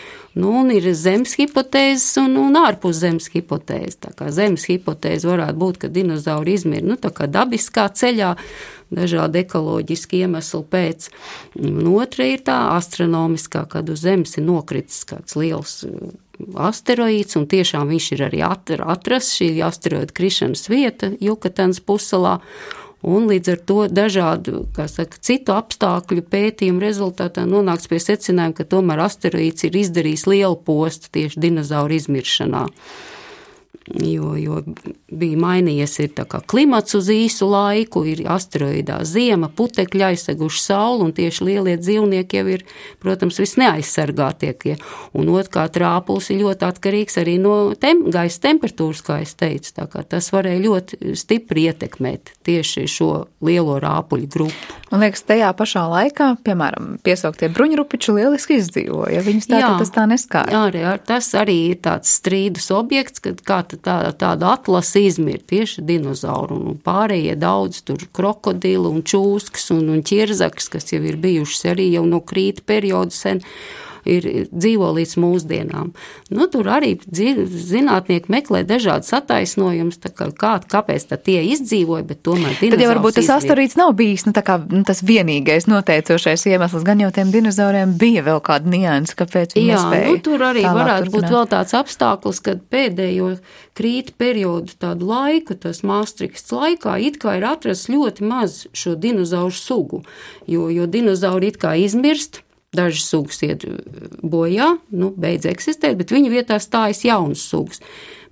Un ir zemes hipotēzes un ārpus zemes hipotēzes. Tā kā zemes hipotēze varētu būt, ka dinozauri izmir, tā kā dabiskā ceļā, dažādi ekoloģiski iemesli pēc. Un otra ir tā astronomiskā, kad uz Zemes ir nokritis kāds liels asteroīds, un tiešām viņš ir arī atrasts, šī asteroīda krišanas vieta Jukatans pussalā. Un līdz ar to dažādu, citu apstākļu pētījumu rezultātā nonāks pie secinājuma, ka tomēr asteroīds ir izdarījis lielu postu tieši dinozauru izmiršanā. Jo bija mainījies ir tā kā klimats uz īsu laiku, ir asteroīdā ziema, putekļi aizseguši sauli, un tieši lielie dzīvnieki jau ir, protams, visneaizsargātiekie. Un otrkārt rāpuls ir ļoti atkarīgs arī no gaisa temperatūras, kā es teicu, tā kā tas varēja ļoti stipri ietekmēt tieši šo lielo rāpuļu grupu. Man liekas, tajā pašā laikā, piemēram, piesauktie bruņurupiči lieliski izdzīvoja, viņus tas tā neskāra. Jā, tas arī ir tāds strīdus objekts, kad kā tāda atlase izmir tieši dinozauru, un pārējie daudz tur krokodilu un čūskas un ķirzaks, kas jau ir bijušas arī jau no krīta periodu sen, ir dzīvo līdz mūsdienām. Nu, tur arī zinātnieki meklē dažādas attaisnojumus, kāpēc tie izdzīvoja, bet tomēr dinozaurs tad jau varbūt tas asteroīds nav bijis tas vienīgais noteicošais iemesls, gan jau tiem dinozauriem bija vēl kāda nianses, kāpēc viņi nespēja. Tur arī varētu būt vēl tāds apstākļus, kad pēdējo krīta periodu tādu laiku, tas Maastrichts laikā, it kā ir atrasts ļoti maz šo dinozauru sugu, jo dinozauri it kā izmirst, dažas sugas iet bojā, beidz eksistēt, bet viņu vietā stājas jaunas sugas.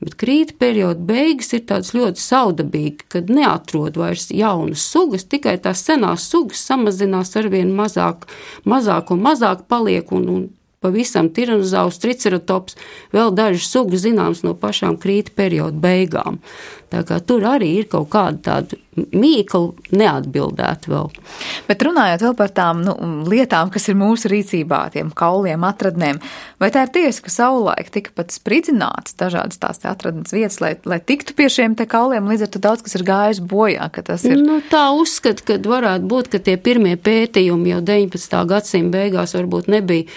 Bet krīta perioda beigas ir tāds ļoti saudabīgi, kad neatrod vairs jaunas sugas, tikai tās senās sugas samazinās arvien mazāk un mazāk paliek, un pavisam tiranozaurs, triceratops, vēl dažas sugas zināms no pašām krīta perioda beigām. Tā kā tur arī ir kaut kāda tāda mīkla neatbildēta vēl. Bet runājot vēl par tām lietām, kas ir mūsu rīcībā, tiem kauliem, atradnēm, vai tā ir tiesa, ka savulaik tika pat spridzināts dažādas tās atradnes vietas, lai tiktu pie šiem te kauliem, līdz ar to daudz, kas ir gājis bojā, ka tas ir? Tā uzskata, ka varētu būt, ka tie pirmie pētījumi jau 19. gadsimta beigās varbūt nebija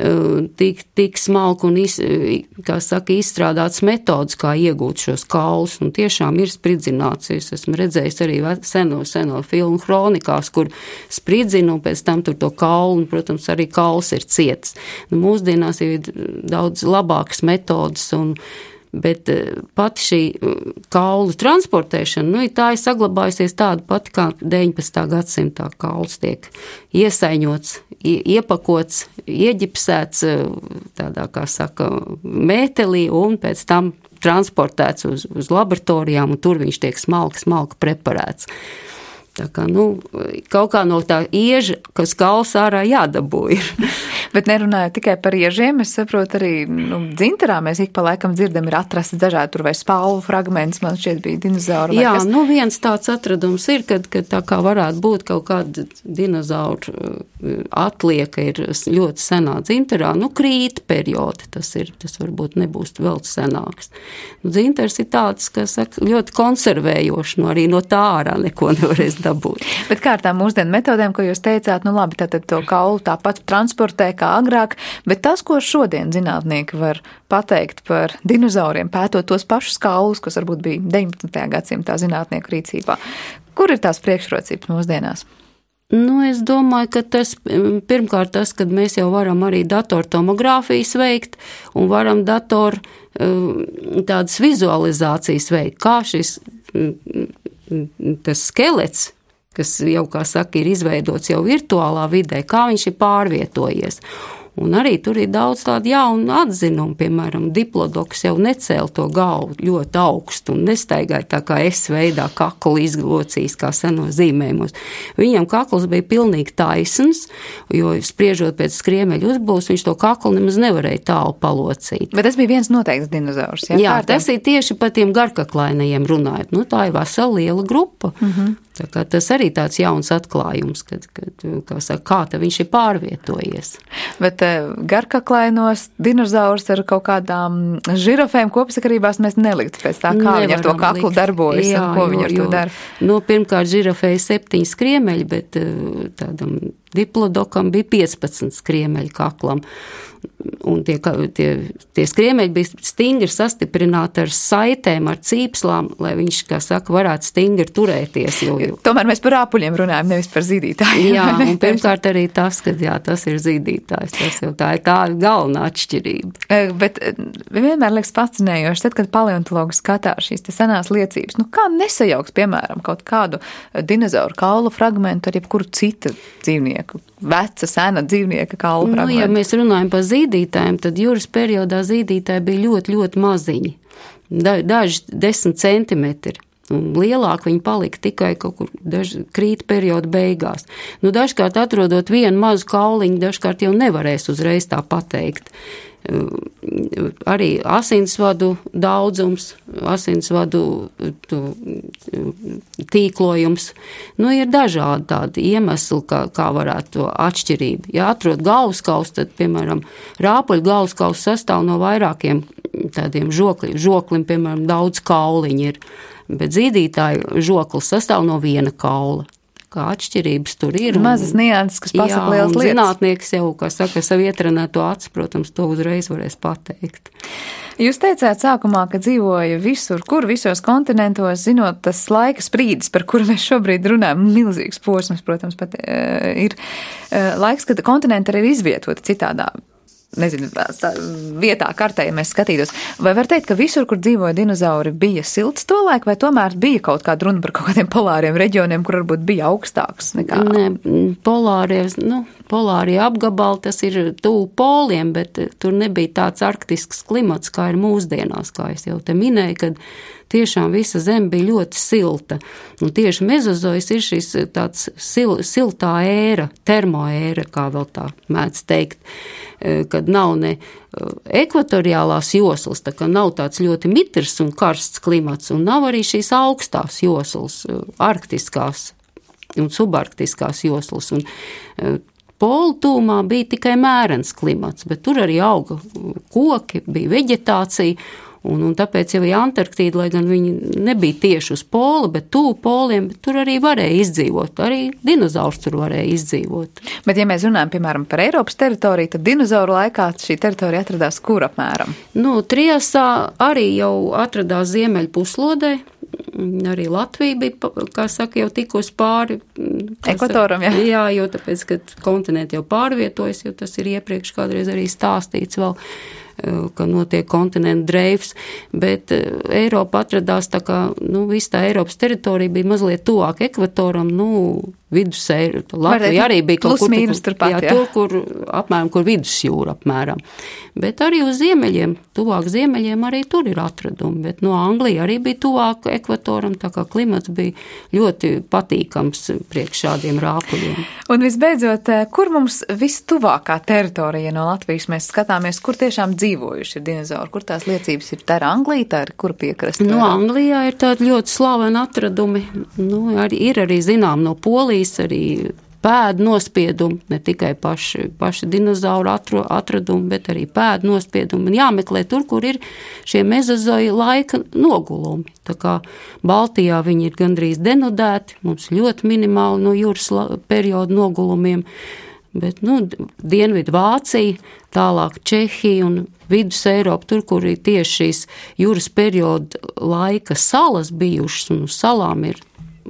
tik smalki un izstrādāts metodas, kā iegūt šos kaulus, un tiešām ir spridzināts. Es esmu redzējis arī seno filmu kronikās, kur spridzina, un pēc tam tur to kaulu, un, protams, arī kauls ir ciets. Mūsdienās ir daudz labākas metodas, bet pati šī kaulu transportēšana, tā ir saglabājusies tāda pati, kā 19. gadsimtā kauls tiek iesaiņots, iepakots, ieģipsēts tādā, kā saka, mētelī, un pēc tam transportēts uz laboratorijām, un tur viņš tiek smalki preparēts. Tā kā, kaut kā no tā ieža, kas kauls ārā jādabū ir. Bet nerunājot tikai par iežiem, es saprotu arī, dzintarā mēs ik pa laikam dzirdam, ir atrasti dažādi tur vai spalvu fragments, man šķiet bija dinozauri. Jā, viens tāds atradums ir, kad tā kā varētu būt kaut kāda dinozauru atlieka ir ļoti senā dzintarā, krīta periodi, tas varbūt nebūs vēl senāks. Dzintars ir tāds, kas saka, ļoti konservējoši, arī no tā ārā neko nevarēs dabūt. Bet kā ar tām mūsdienu metodēm, ko jūs teicāt, labi, tātad to kaulu tāpat transportē kā agrāk, bet tas, ko šodien zinātnieki var pateikt par dinozauriem, pētot tos pašus kaulus, kas varbūt bija 19. gadsimtā zinātnieku rīcībā, kur ir tās priekšrocības mūsdienās? Es domāju, ka tas, pirmkārt tas, kad mēs jau varam arī datortomogrāfijas veikt un varam tādas vizualizācijas veikt, kā tas skelets, kas jau, kā saka, ir izveidots jau virtuālā vidē, kā viņš ir pārvietojies. Un arī tur ir daudz tādu jaunu atzinumu, piemēram, diplodoks jau necēla to galvu ļoti augstu un nestaigāja tā kā S veidā kaklu izlocījis kā senos zīmējumos. Viņam kakls bija pilnīgi taisns, jo spriežot pēc skriemeļu uzbūves, viņš to kaklu nemaz nevarēja tālu palocīt. Bet tas bija viens noteikts dinozaurs, jā? Jā, tas ir tieši par tiem garkaklainajiem runājot. Tā ir vesela liela grupa. Tā kā tas arī tāds jauns atklājums, kad kā viņš ir pārvietojies. Bet garkaklainos dinozaurs ar kaut kādām žirafēm kopsakarībās mēs neliktu pēc tā, kā viņi ar to kaklu darbojas, jā, un ko viņi ar to dara. Pirmkārt, žirafēja 7 skriemeļi, bet tādam diplodokam bija 15 skriemeļi kaklam. Un tie skriemeļi bija stingri sastiprināti ar saitēm, ar cīpslām, lai viņš, kā saka, varētu stingri turēties. zīdītāju. Tomēr mēs par rāpuļiem runājam, nevis par zīdītājiem. Jā, un pirmkārt arī tas, ka jā, tas ir zīdītājs. Tas jau tā ir tā galvenā atšķirība. Bet vienmēr liekas fascinējoši, tad, kad paleontologi skatās šīs te senās liecības, kā nesajauks, piemēram, kaut kādu dinozauru kaulu fragmentu ar jebkuru citu dzīvnieku, veca, sena dzīvnieka kaulu fragmentu. Ja mēs runājam par zīdītājiem, tad jūras periodā zīdītāji bija ļoti, ļoti maziņi. Daži 10 centimetri. Un lielāk viņi palika tikai kaut kur krīta perioda beigās. Dažkārt atrodot vienu mazu kauliņu, dažkārt jau nevarēs uzreiz tā pateikt. Arī asinsvadu daudzums, asinsvadu tīklojums. Ir dažādi tādi iemesli, kā varētu to atšķirību. Ja atrod galvaskausu, tad, piemēram, rāpuļu galvaskausu sastāv no vairākiem tādiem žoklim, piemēram, daudz kauliņi ir. Bet zīdītāju žoklis sastāv no viena kaula. Kā atšķirības tur ir. Mazas nianses, kas pasaka lielas lietas. Zinātnieks jau, kā saka, savu ietrenēto acu, protams, to uzreiz varēs pateikt. Jūs teicāt sākumā, ka dzīvoja visur, visos kontinentos, zinot tas laika sprīdis, par kuru mēs šobrīd runājam, milzīgs posms, protams, pat ir laiks, kad kontinenti arī ir izvietoti citādā. Vietā, kartē, ja mēs skatītos. Vai var teikt, ka visur, kur dzīvoja dinozauri, bija silts tolaik, vai tomēr bija kaut kāda runa par kaut kādiem polāriem reģioniem, kur varbūt bija augstāks nekā? Ne, polārie apgabali, tas ir tuvu poliem, bet tur nebija tāds arktisks klimats, kā ir mūsdienās, kā es jau te minēju, kad tiešām visa zeme bija ļoti silta. Un tieši mezozojs ir šis tāds siltā ēra, termoēra, kā vēl tā mēdz teikt, kad nav ne ekvatoriālās joslas, tā kā nav tāds ļoti mitrs un karsts klimats, un nav arī šīs augstās joslas, arktiskās un subarktiskās joslas. Un polu tūmā bija tikai mērens klimats, bet tur arī auga koki, bija veģetācija, un tāpēc jau Antarktīda, lai gan viņi nebija tieši uz pola, bet tuvu poliem, bet tur arī varēja izdzīvot. Arī dinozaurs tur varēja izdzīvot. Bet ja mēs runājam, piemēram, par Eiropas teritoriju, tad dinozauru laikā šī teritorija atradās kur apmēram? Triasā arī jau atradās ziemeļu puslodē. Arī Latvija bija, kā saka, jau tikus pāri ekvatoram, jā. Jā, jo tāpēc, ka kontinenti jau pārvietojas, jo tas ir iepriekš kādreiz arī stāstīts vēl, ka notiek kontinentu dreifs, bet Eiropa atradās tā kā, visa tā Eiropas teritorija bija mazliet tuvāk ekvatoram, vidus Eiropa. Latvija arī bija kaut kur, tur, apmēram, kur vidusjūra apmēram. Bet arī uz ziemeļiem, tuvāk ziemeļiem arī tur ir atradumi, bet no Anglija arī bija tuvāk ekvatoram, tā kā klimats bija ļoti patīkams priekš šādiem rāpuļiem. Un visbeidzot, kur mums vistuvākā teritorija no Latvijas mēs skatāmies, kur tiešām dzīvojuši ir dinozauri, kur tās liecības ir? Tā ir Anglija, tā ir kur piekrasta? Anglijā ir tādi ļoti slaveni atradumi, ir arī zinām no Polijas, arī pēdu nospiedumi, ne tikai paši dinozauru atradumi, bet arī pēdu nospiedumi. Jāmeklē tur, kur ir šie mezozoja laika nogulumi. Tā kā Baltijā viņi ir gandrīz denudēti, mums ļoti minimāli no jūras perioda nogulumiem, bet, Dienvidu Vācija, tālāk Čehija un Vidus Eiropa, tur, kur ir tieši šīs jūras perioda laika salas bijušas, un uz salām ir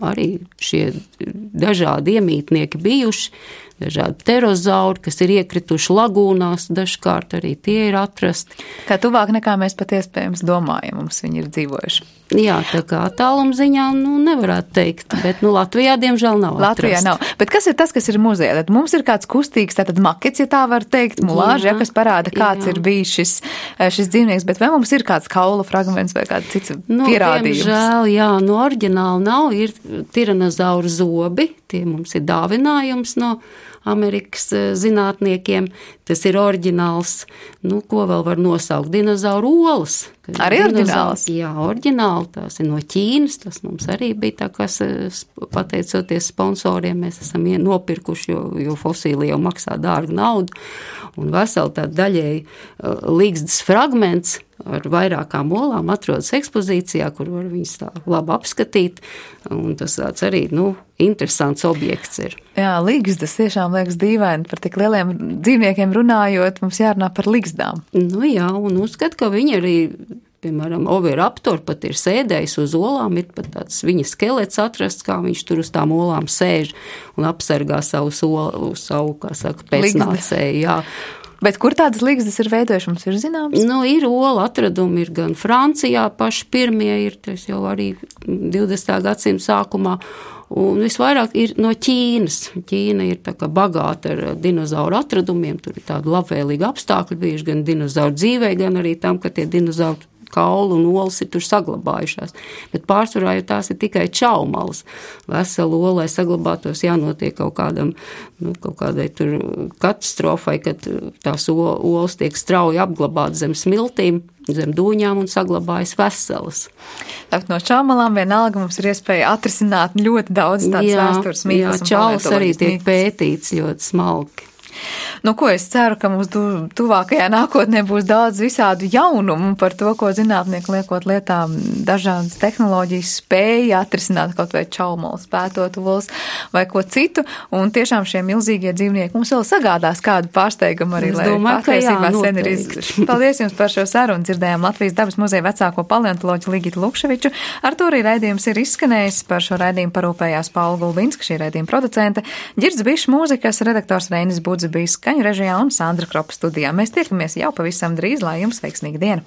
arī šie dažādi iemītnieki bijuši, dažādi pterozauri, kas ir iekrituši lagūnās, dažkārt arī tie ir atrasti. Kā tuvāk nekā mēs pat iespējams domājam, mums viņi ir dzīvojuši. Jā, tā kā attāluma ziņā, nevarētu teikt, bet, Latvijā, diemžēl, nav atrasts. Latvijā nav. Bet kas ir tas, kas ir muzejā? Tad mums ir kāds kustīgs, tātad makets, ja tā var teikt, mulāži, kas parāda, kāds ir bijis šis dzīvnieks, bet vai mums ir kāds kaula fragments vai kāds cits pierādījums? Diemžēl, jā, oriģināli nav, ir tiranozauru zobi, tie mums ir dāvinājums no Amerikas zinātniekiem, tas ir oriģināls, ko vēl var nosaukt, dinozauru olas. Arī oriģināls? Jā, oriģināli, tās ir no Ķīnas, tas mums arī bija tā, kas pateicoties sponsoriem, mēs esam nopirkuši, jo fosīli jau maksā dārgu naudu, un veseli tā daļēji līgstas fragments ar vairākām olām atrodas ekspozīcijā, kur var viņus tā labi apskatīt, un tas tāds arī, interesants objekts ir. Jā, ligzdas tiešām liekas dīvaini, par tik lieliem dzīvniekiem runājot, mums jārunā par ligzdām. Jā, un uzskat, ka viņi arī piemēram, Oviraptor pat ir sēdējis uz olām, ir pat tāds viņa skelets atrasts, kā viņš tur uz tām olām sēž un apsargā savu, kā saka, pēcnācēju, jā. Bet kur tādas ligzdas ir veidojuši, mums ir zināms? Nu, ir ola atradumi, ir gan Francijā paši pirmie, ir tas jau arī 20. gadsimta sākumā, un visvairāk ir no Ķīnas. Ķīna ir tā kā bagāta ar dinozauru atradumiem, tur ir tādi labvēlīgi apstākļi bijuši gan dinozauru dzīvē, gan arī tam, ka tie dinozauri kaulu un olas ir tur saglabājušās. Bet pārsvarā jau tās ir tikai čaumalas. Veselu olai saglabātos jānotiek kaut kādai tur katastrofai, kad tās olas tiek strauji apglabāt zem smiltīm, zem dūņām un saglabājas veselas. Tātad no čaumalām vienalga mums ir iespēja atrisināt ļoti daudz tādas vēstures mīklas. Jā, čaulas arī tiek pētīts ļoti smalki. Nu, ko es ceru, ka mums tuvākajā nākotnē būs daudz visādu jaunumu par to, ko zinātnieki liekot lietā dažādas tehnoloģijas spēja atrisināt kaut vai čaumalas, pētot olas vai ko citu, un tiešām šie milzīgie dzīvnieki mums vēl sagādās kādu pārsteigumu arī, lai patiesībā sen ir izgājuši. Paldies jums par šo sarunu. Dzirdējām Latvijas dabas muzeja vecāko paleontoloģu Ligitu Lukševiču. Ar to arī raidījums ir izskanējis. Par šo raidījumu parūpējās Paula Gulbinska, šī raidījuma producente, Ģirds Bišs, mūzikas redaktors Reinis Budze bija skaņu režijā un Sandra Kropa studijā. Mēs tiekamies jau pavisam drīz, lai jums veiksmīga diena!